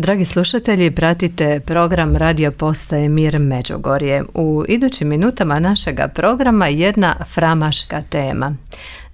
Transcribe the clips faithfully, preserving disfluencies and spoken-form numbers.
Dragi slušatelji, pratite program Radio Postaje Mir Međugorje. U idućim minutama našega programa jedna framaška tema.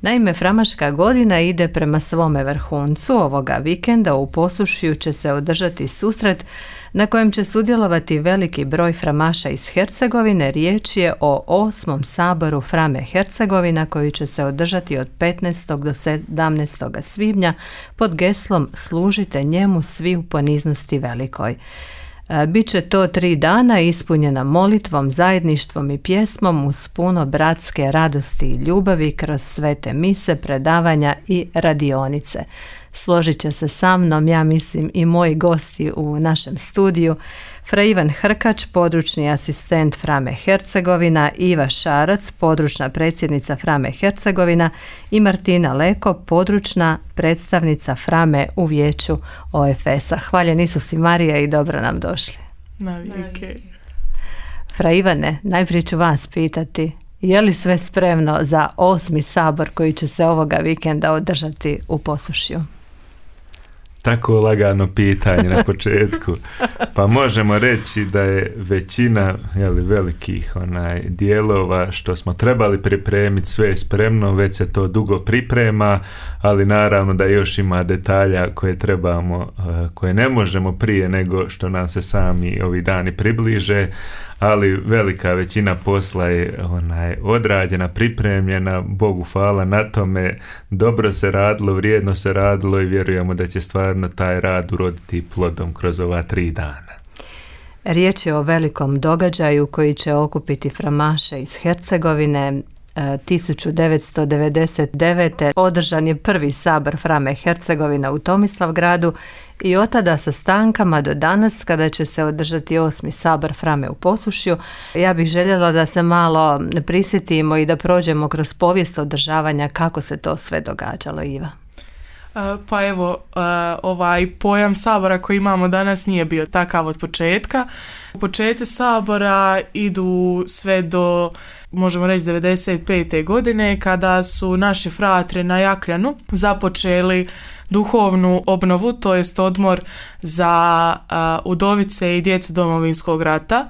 Naime, framaška godina ide prema svome vrhuncu. Ovoga vikenda u Posušju će se održati susret na kojem će sudjelovati veliki broj framaša iz Hercegovine. Riječ je o osmom saboru Frame Hercegovina koji će se održati od petnaestog do sedamnaestog svibnja pod geslom Služite njemu svi u poniznosti velikoj. Biće to tri dana ispunjena molitvom, zajedništvom i pjesmom uz puno bratske radosti i ljubavi kroz svete mise, predavanja i radionice. Složit će se sa mnom, ja mislim, i moji gosti u našem studiju. Fra Ivan Hrkač, područni asistent Frame Hercegovina, Iva Šarac, područna predsjednica Frame Hercegovina i Martina Leko, područna predstavnica Frame u vijeću O F S-a. Hvaljen Isus i Marija i dobro nam došli. Navike. Fra Ivane, najprije ću vas pitati, je li sve spremno za osmi sabor koji će se ovoga vikenda održati u Posušju? Tako lagano pitanje na početku. Pa možemo reći da je većina jeli, velikih onaj, dijelova što smo trebali pripremiti, sve je spremno, već se to dugo priprema, ali naravno da još ima detalja koje trebamo, koje ne možemo prije nego što nam se sami ovi dani približe, ali velika većina posla je onaj, odrađena, pripremljena, Bogu hvala na tome, dobro se radilo, vrijedno se radilo i vjerujemo da će stvarno taj rad uroditi plodom kroz ova tri dana. Riječ je o velikom događaju koji će okupiti framaše iz Hercegovine. tisuću devetsto devedeset devete. održan je prvi sabor Frame Hercegovina u Tomislavgradu i od tada sa stankama do danas kada će se održati osmi sabor Frame u Posušju. Ja bih željela da se malo prisjetimo i da prođemo kroz povijest održavanja kako se to sve događalo, Iva. Pa evo, ovaj pojam sabora koji imamo danas nije bio takav od početka. Početci sabora idu sve do, možemo reći, devedeset pete. godine kada su naši fratri na Jakljanu započeli duhovnu obnovu, to jest odmor za udovice i djecu Domovinskog rata.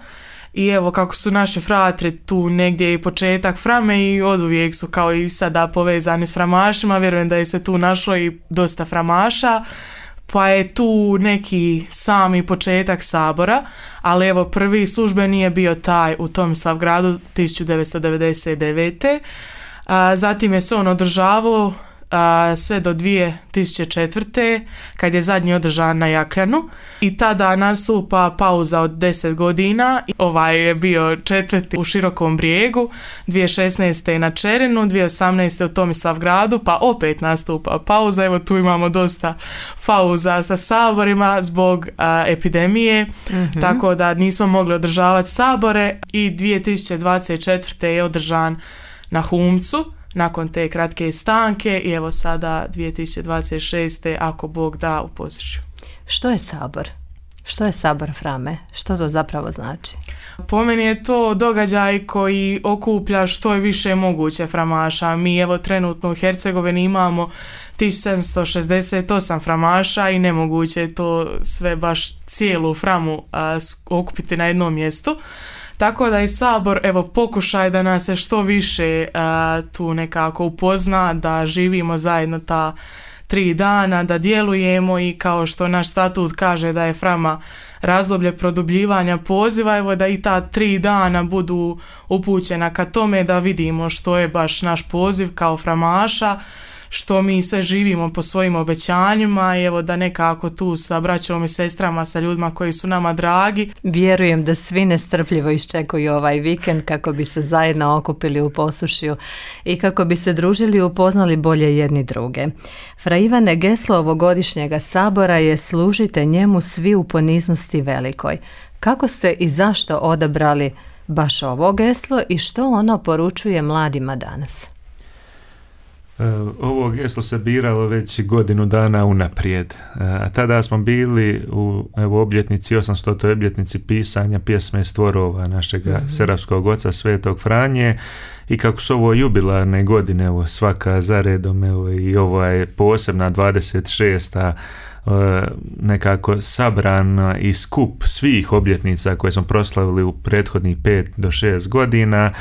I evo kako su naši fratri tu negdje i početak Frame i oduvijek su kao i sada povezani s framašima, vjerujem da je se tu našlo i dosta framaša, pa je tu neki sami početak sabora, ali evo prvi službeni je bio taj u Tomislavgradu tisuću devetsto devedeset devete. A, zatim je se on održavao a, sve do dvije tisuće četvrte. kad je zadnji održan na Jakljanu i tada nastupa pauza od deset godina. Ovaj je bio četvrti u Širokom Brijegu, dvije tisuće šesnaeste. na Čerinu, dvije tisuće osamnaeste. u Tomislavgradu, pa opet nastupa pauza. Evo tu imamo dosta pauza sa saborima zbog a, epidemije, mm-hmm. tako da nismo mogli održavati sabore i dvije tisuće dvadeset četvrte. je održan na Humcu nakon te kratke stanke i evo sada dvije tisuće dvadeset šeste. ako Bog da u Posušju. Što je sabor? Što je sabor Frame? Što to zapravo znači? Po meni je to događaj koji okuplja što je više moguće framaša. Mi evo trenutno u Hercegovini imamo tisuću sedamsto šezdeset osam framaša i nemoguće je to sve baš cijelu Framu a, okupiti na jednom mjestu. Tako da je sabor, evo, pokušaj da nas se što više uh, tu nekako upozna, da živimo zajedno ta tri dana, da djelujemo i kao što naš statut kaže da je Frama razdoblje produbljivanja poziva, evo da i ta tri dana budu upućena ka tome da vidimo što je baš naš poziv kao framaša, što mi sve živimo po svojim obećanjima i evo da nekako tu sa braćom i sestrama, sa ljudima koji su nama dragi. Vjerujem da svi nestrpljivo iščekuju ovaj vikend kako bi se zajedno okupili u Posušju i kako bi se družili i upoznali bolje jedni druge. Fra Ivane, geslo ovogodišnjega sabora je Služite njemu svi u poniznosti velikoj. Kako ste i zašto odabrali baš ovo geslo i što ono poručuje mladima danas? Ovo geslo se biralo već godinu dana unaprijed, a tada smo bili u evo, obljetnici, osamstotoj obljetnici pisanja pjesme Stvorova našega mm-hmm. seravskog oca Svetog Franje i kako su ovo jubilarne godine, evo, svaka zaredom, evo, i ovo je posebna dvadeset šesta nekako sabran i skup svih obljetnica koje smo proslavili u prethodnih pet do šest godina,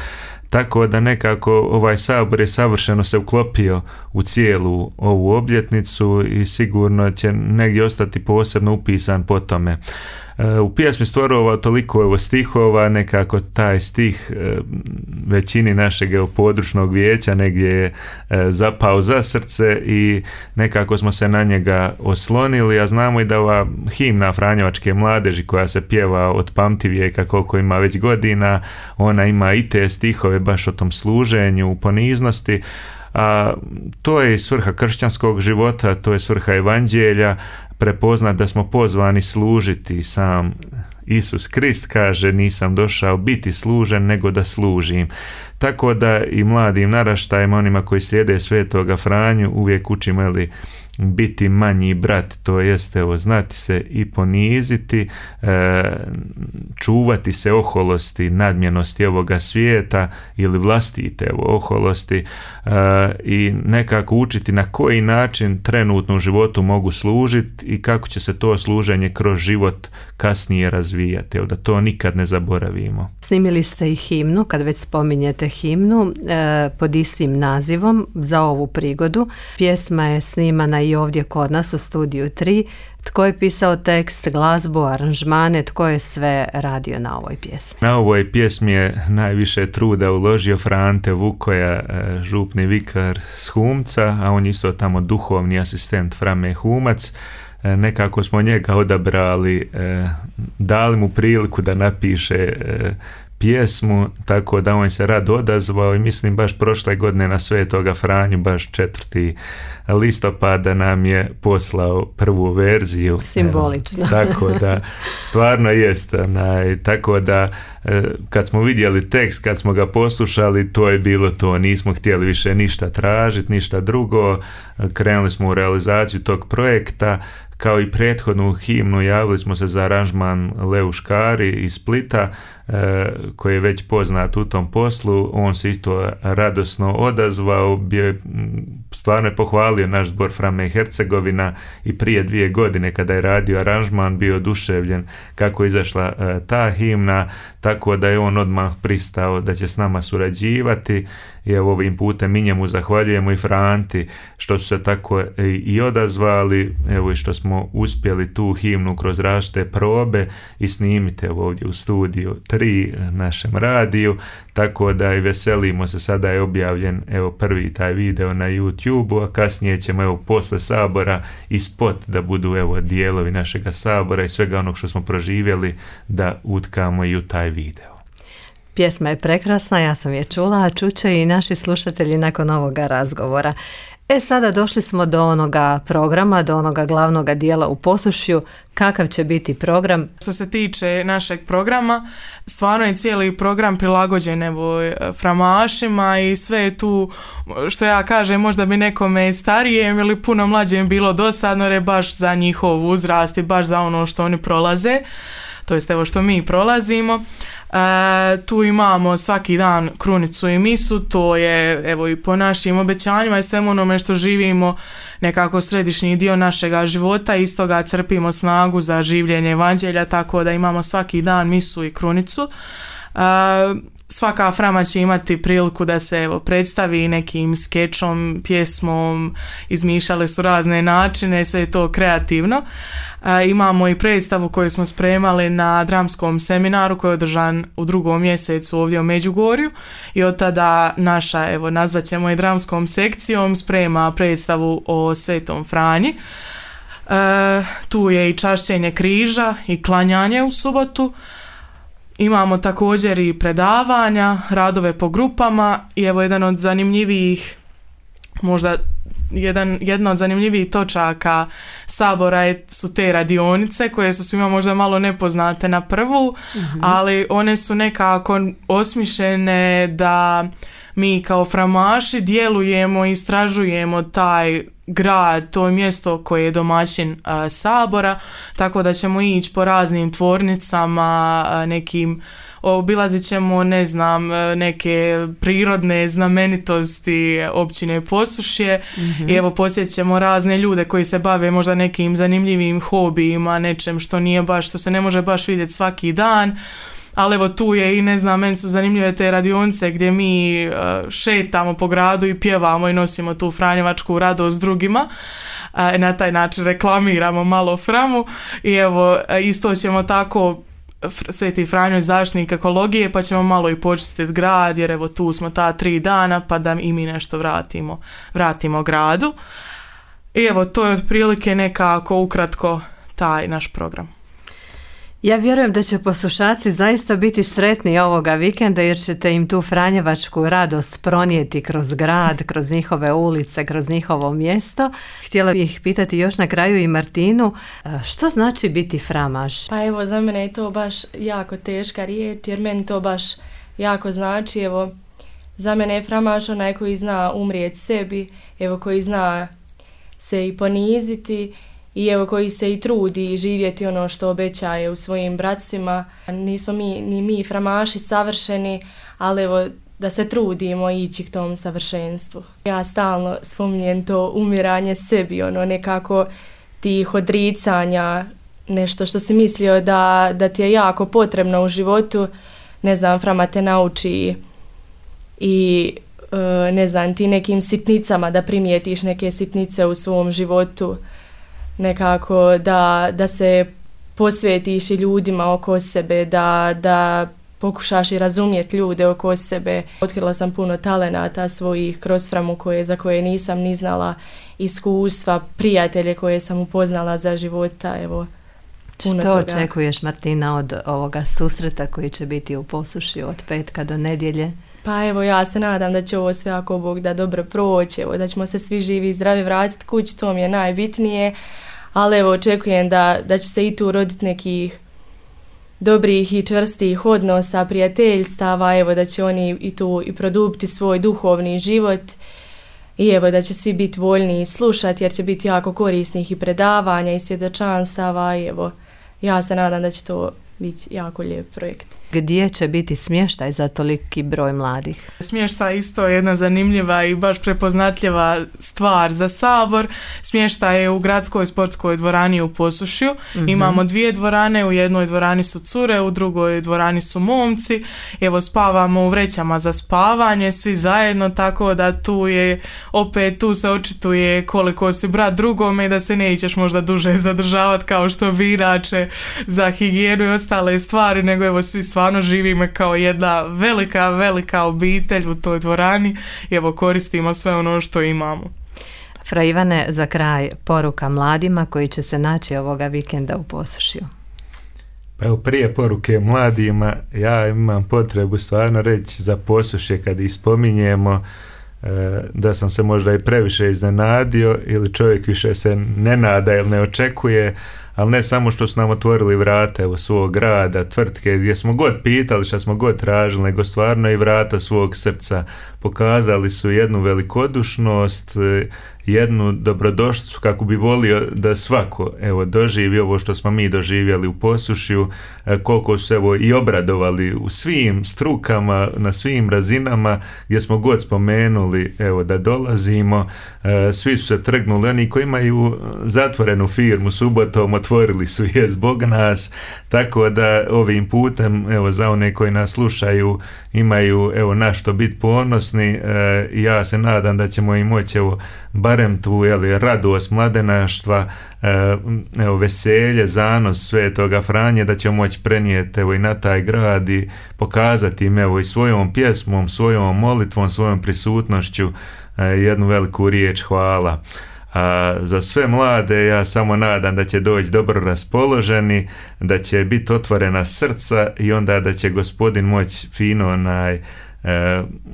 tako da nekako ovaj sabor je savršeno se uklopio u cijelu ovu obljetnicu i sigurno će negdje ostati posebno upisan po tome. U pjesmi stvorovao toliko evo stihova, nekako taj stih većini našeg područnog vijeća negdje je zapao za srce i nekako smo se na njega oslonili, a znamo i da ova himna Franjevačke mladeži koja se pjeva od pamtivijeka koliko ima već godina, ona ima i te stihove baš o tom služenju, u poniznosti. A to je i svrha kršćanskog života, to je svrha evanđelja, prepoznat da smo pozvani služiti. Sam Isus Krist kaže: nisam došao biti služen, nego da služim. Tako da i mladim naraštajima, onima koji slijede Svetoga Franju, uvijek učimo ili biti manji brat, to jest evo, znati se i poniziti, e, čuvati se oholosti, nadmjenosti ovoga svijeta ili vlastite evo, oholosti e, i nekako učiti na koji način trenutno u životu mogu služiti i kako će se to služenje kroz život kasnije razvijati, evo, da to nikad ne zaboravimo. Snimili ste i himnu, kad već spominjete himnu, e, pod istim nazivom za ovu prigodu. Pjesma je snimana i ovdje kod nas u studiju tri. Tko je pisao tekst, glazbu, aranžmane, tko je sve radio na ovoj pjesmi? Na ovoj pjesmi je najviše truda uložio Frante Vukoja, župni vikar s Humca, a on isto tamo duhovni asistent Frame Humac. Nekako smo njega odabrali, dali mu priliku da napiše pjesmu, tako da on se rado odazvao i mislim baš prošle godine na Svetoga Franju, baš četvrti listopada nam je poslao prvu verziju. Simbolično. Evo, tako da stvarno jest. Onaj, tako da kad smo vidjeli tekst, kad smo ga poslušali, to je bilo to. Nismo htjeli više ništa tražiti, ništa drugo. Krenuli smo u realizaciju tog projekta. Kao i prethodnu himnu javili smo se za aranžman Leu Škari iz Splita, e, koji je već poznat u tom poslu. On se isto radosno odazvao, bio je, stvarno je pohvalio naš zbor Frame Hercegovina i prije dvije godine kada je radio aranžman bio oduševljen kako je izašla e, ta himna, tako da je on odmah pristao da će s nama surađivati i evo ovim putem mi njemu zahvaljujemo i Franti što su se tako i, i odazvali, evo i što smo uspjeli tu himnu kroz različite probe i snimite ovdje u studiju tri našem radiju, tako da i veselimo se. Sada je objavljen evo prvi taj video na YouTube-u, a kasnije ćemo evo posle sabora i spot da budu evo dijelovi našega sabora i svega onog što smo proživjeli da utkamo i u taj video. Pjesma je prekrasna, ja sam je čula, a čuće i naši slušatelji nakon ovoga razgovora. E sada došli smo do onoga programa, do onoga glavnoga dijela u Posušju. Kakav će biti program? Što se tiče našeg programa, stvarno je cijeli program prilagođen evo framašima i sve je tu, što ja kažem, možda bi nekome starijem ili puno mlađem bilo dosadno, jer je baš za njihov uzrast i baš za ono što oni prolaze, to jest evo što mi prolazimo. E, tu imamo svaki dan krunicu i misu, to je evo i po našim obećanjima i svemu onome što živimo nekako središnji dio našega života, iz toga crpimo snagu za življenje evanđelja, tako da imamo svaki dan misu i krunicu. E, svaka frama će imati priliku da se evo predstavi nekim skečom, pjesmom, izmišljali su razne načine, sve je to kreativno. E, imamo i predstavu koju smo spremali na dramskom seminaru koji je održan u drugom mjesecu ovdje u Međugorju i od tada naša, evo nazvat ćemo i dramskom sekcijom, sprema predstavu o Svetom Franji. E, tu je i čašćenje križa i klanjanje u subotu. Imamo također i predavanja, radove po grupama i evo jedan od zanimljivijih, možda jedan, jedna od zanimljivijih točaka sabora je, su te radionice koje su svima možda malo nepoznate na prvu, mm-hmm. ali one su nekako osmišljene da mi kao framaši djelujemo i istražujemo taj grad, to mjesto koje je domaćin a, sabora, tako da ćemo ići po raznim tvornicama, a, nekim obilazit ćemo, ne znam, neke prirodne znamenitosti općine Posušje mm-hmm. i evo posjetit ćemo razne ljude koji se bave možda nekim zanimljivim hobijima, nečem što nije baš, što se ne može baš vidjeti svaki dan. Ali evo tu je i ne znam, meni su zanimljive te radionice gdje mi uh, šetamo po gradu i pjevamo i nosimo tu franjevačku radost drugima. Uh, na taj način reklamiramo malo Framu i evo isto ćemo tako Sveti Franjo zaštitnik ekologije, pa ćemo malo i počistiti grad, jer evo tu smo ta tri dana pa da i mi nešto vratimo, vratimo gradu. I evo to je otprilike nekako ukratko taj naš program. Ja vjerujem da će poslušači zaista biti sretni ovoga vikenda jer ćete im tu franjevačku radost pronijeti kroz grad, kroz njihove ulice, kroz njihovo mjesto. Htjela bih pitati još na kraju i Martinu, što znači biti framaš? Pa evo, za mene je to baš jako teška riječ jer meni to baš jako znači. Evo, za mene je framaš onaj koji zna umrijeti sebi, evo koji zna se i poniziti, i evo koji se i trudi živjeti ono što obećaje u svojim bratstvima. Nismo mi, ni mi framaši savršeni, ali evo da se trudimo ići k tom savršenstvu. Ja stalno spominjem to umiranje sebi, ono nekako tih odricanja, nešto što si mislio da, da ti je jako potrebno u životu, ne znam, Frama te nauči i ne znam, ti nekim sitnicama da primijetiš neke sitnice u svom životu, nekako da, da se posvetiš i ljudima oko sebe, da, da pokušaš i razumjeti ljude oko sebe. Otkrila sam puno talenata svojih kroz Framu koje, za koje nisam ni znala, iskustva, prijatelje koje sam upoznala za života. Evo, puno Što toga. očekuješ, Martina, od ovoga susreta koji će biti u Posušju od petka do nedjelje? Pa evo, ja se nadam da će ovo sve ako Bog da dobro proći, evo, da ćemo se svi živi i zdravi vratiti kući, to mi je najbitnije, ali evo očekujem da, da će se i tu roditi nekih dobrih i čvrstih odnosa, prijateljstava, evo da će oni i tu i produbiti svoj duhovni život i evo da će svi biti voljni slušati jer će biti jako korisnih i predavanja i svjedočanstava i evo ja se nadam da će to biti jako lijep projekt. Gdje će biti smještaj za toliki broj mladih? Smještaj isto je jedna zanimljiva i baš prepoznatljiva stvar za sabor. Smještaj je u gradskoj sportskoj dvorani u Posušju. Mm-hmm. Imamo dvije dvorane, u jednoj dvorani su cure, u drugoj dvorani su momci. Evo spavamo u vrećama za spavanje, svi zajedno, tako da tu je, opet tu se očituje koliko si brat drugome i da se nećeš možda duže zadržavati kao što bi inače za higijenu i ostale stvari, nego evo svi stvarno živimo kao jedna velika, velika obitelj u toj dvorani i evo koristimo sve ono što imamo. Fra Ivane, za kraj poruka mladima koji će se naći ovoga vikenda u Posušju. Pa evo, prije poruke mladima, ja imam potrebu stvarno reći za Posušje kad ih spominjemo, da sam se možda i previše iznenadio ili čovjek više se ne nada ili ne očekuje, ali ne samo što su nam otvorili vrata evo svog grada, tvrtke, gdje smo god pitali, što smo god tražili, nego stvarno i vrata svog srca. Pokazali su jednu velikodušnost, jednu dobrodošlicu kako bi volio da svako evo doživi ovo što smo mi doživjeli u Posušju, koliko su evo i obradovali u svim strukama, na svim razinama gdje smo god spomenuli evo da dolazimo, svi su se trgnuli, oni koji imaju zatvorenu firmu subotom otvorili su je zbog nas, tako da ovim putem evo za one koji nas slušaju imaju evo na što biti ponosni i ja se nadam da ćemo im moći evo barem tu jeli, radost mladenaštva, evo, veselje, zanos Svetoga Franje, da ćemo moći prenijeti evo, i na taj grad i pokazati im evo, i svojom pjesmom, svojom molitvom, svojom prisutnošću jednu veliku riječ hvala. A za sve mlade ja samo nadam da će doći dobro raspoloženi, da će biti otvorena srca i onda da će Gospodin moći fino onaj, e,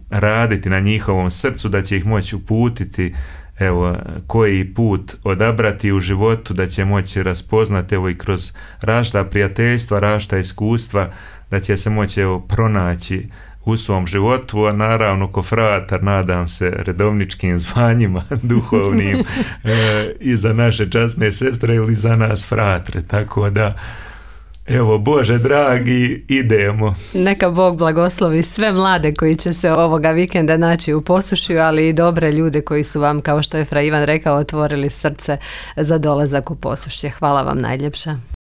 raditi na njihovom srcu, da će ih moći uputiti evo, koji put odabrati u životu, da će moći raspoznati evo, i kroz različita prijateljstva, različita iskustva, da će se moći evo, pronaći u svom životu, a naravno ko fratar nadam se redovničkim zvanjima duhovnim e, i za naše časne sestre ili za nas fratre, tako da evo, Bože dragi, idemo. Neka Bog blagoslovi sve mlade koji će se ovoga vikenda naći u Posušju, ali i dobre ljude koji su vam, kao što je Fra Ivan rekao, otvorili srce za dolazak u Posušje. Hvala vam najljepša.